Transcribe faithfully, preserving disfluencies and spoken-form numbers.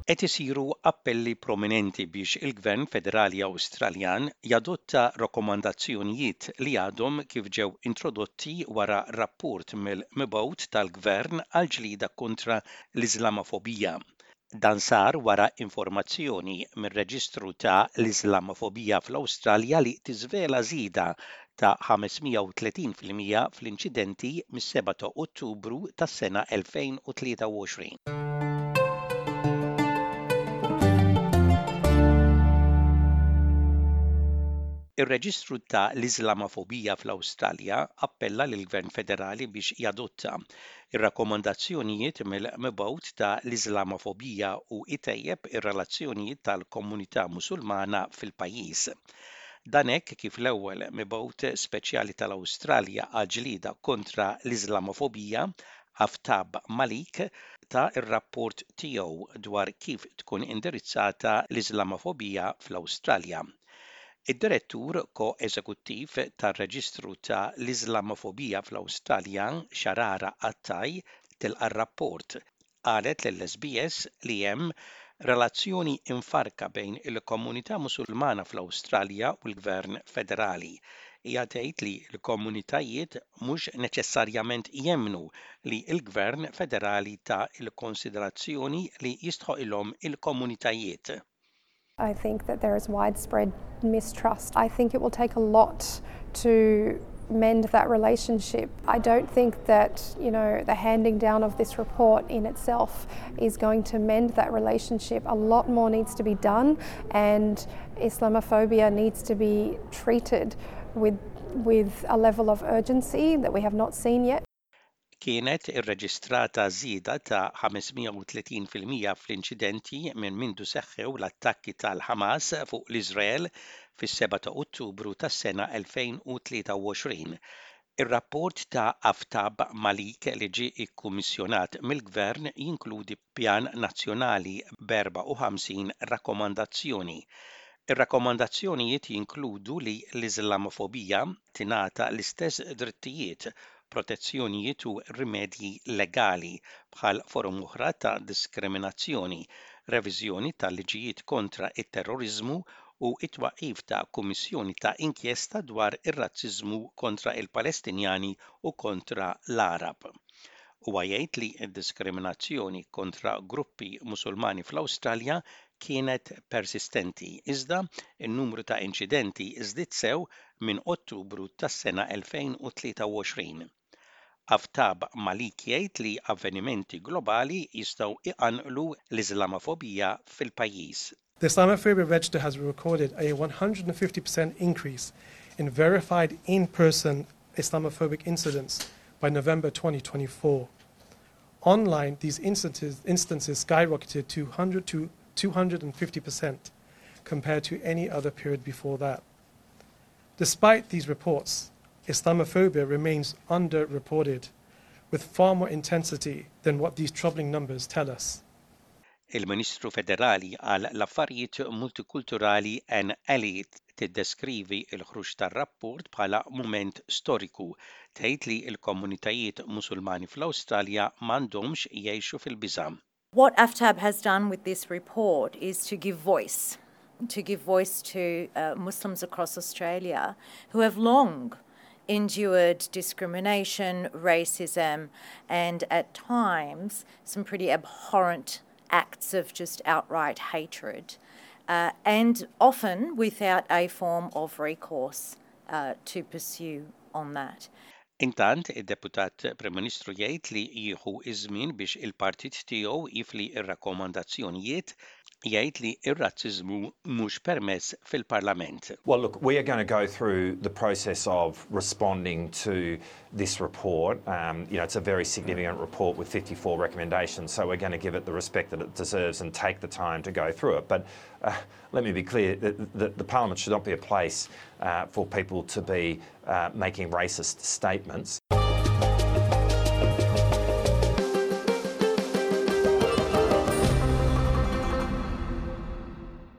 Qed isiru appelli prominenti biex il-Gvern Federali Awstraljan jadotta rakkomandazzjonijiet li għadhom kif ġew introdotti wara rapport mill-mibgħut tal-Gvern għal ġlida kontra l-Iżlamofobija. Dan sar wara informazzjoni mir-Reġistru ta' l-Iżlamofobija fl-Awstralja li tiżvela żieda ta' ħames mija u tletin fil-mija fl-inċidenti mis-sebgħa ta' Ottubru tas-sena elfejn u tlieta u għoxrin. Ir-Reġistru ta' l-Iżlamofobija fl-Awstralja appella lill-Gvern Federali biex jadotta ir-rakkomandazzjonijiet mill-mibgħut ta' l-Iżlamofobija u jtejjeb ir-relazzjonijiet tal-komunità Musulmana fil-pajjiż. Dan hekk kif l-ewwel mibgħut speċjali tal-Awstralja għal ġlieda kontra l-Iżlamofobija, Aftab Malik, ta r-rapport tiegħu dwar kif tkun indirizzata l-Iżlamofobija fl-Awstralja. Id-direttur ko-eżekuttiv tar-Reġistru ta' l-Iżlamofobija fl-Awstralja, Sharara Attai, tilqa' r-rapport. Qalet lill-S B S li hemm relazzjoni imfarka bejn il-komunità Musulmana fl-Awstralja u l-Gvern Federali. Hija tgħid li l-komunitajiet mhux neċessarjament jemmnu li l-Gvern Federali ta l-konsiderazzjoni li jistħoqilhom il-komunitajiet. I think that there is widespread mistrust. I think it will take a lot to mend that relationship. I don't think that, you know, the handing down of this report in itself is going to mend that relationship. A lot more needs to be done, and Islamophobia needs to be treated with with a level of urgency that we have not seen yet. Kienet irreġistrata żieda ta' ħames mija u tletin fil-mija fl-inċidenti minn mindu seħħew l-attakki tal-Ħamas fuq l-Iżrael fis-sebgħa ta' Ottubru tas-sena elfejn u tlieta u għoxrin. Ir-rapport ta' Aftab Malik, li ġie ikkummissjonat mill-Gvern, jinkludi pjan nazzjonali b'erbgħa u ħamsin rakkomandazzjoni. Ir-rakkomandazzjonijiet jinkludu li l-Iżlamofobija tingħata l-istess drittijiet, protezzjonijiet u rimedji legali bħal forom oħra ta' diskriminazzjoni, reviżjoni tal-liġijiet kontra it-terrorizmu u it-twaqif ta' kummissjoni ta' inkjesta dwar ir-razziżmu kontra il-Palestinjani u kontra l-Arab. Huwa jgħid li d-diskriminazzjoni kontra gruppi Musulmani fl-Awstralja kienet persistenti, iżda n-numru ta' inċidenti żdied sew minn Ottubru tas-sena elfejn u tlieta u għoxrin. Aftab Malik jgħid li avvenimenti globali jistgħu iqanqlu l-Iżlamofobija fil-pajjiż. The Islamophobia Register has recorded a one hundred fifty percent increase in verified in-person Islamophobic incidents by November twenty twenty-four. Online, these instances, instances skyrocketed to one hundred to two hundred fifty percent compared to any other period before that. Despite these reports, Islamophobia remains underreported, with far more intensity than what these troubling numbers tell us. Il-Ministru Federali għal l-Affarijiet Multikulturali Anne Aly tiddeskrivi l-ħruġ tar-rapport bħala mument storiku. Tgħid li l-komunitajiet Musulmani fl-Awstralja m'għandhomx jgħixu fil-biża'. What Aftab has done with this report is to give voice, to give voice to uh, Muslims across Australia who have long endured discrimination, racism, and at times some pretty abhorrent acts of just outright hatred, uh, and often without a form of recourse uh, to pursue on that. Intant, id-deputat Prim Ministru jgħid li jieħu iż-żmien biex il-partit tiegħu jifli ir-rakkomandazzjonijiet. Jgħid li ir-razziżmu mhux permess fil-Parlament. Well, look, we are going to go through the process of responding to this report. Um, you know, it's a very significant report with fifty-four recommendations, so we're going to give it the respect that it deserves and take the time to go through it. But uh, let me be clear that the, the Parliament should not be a place uh, for people to be uh, making racist statements.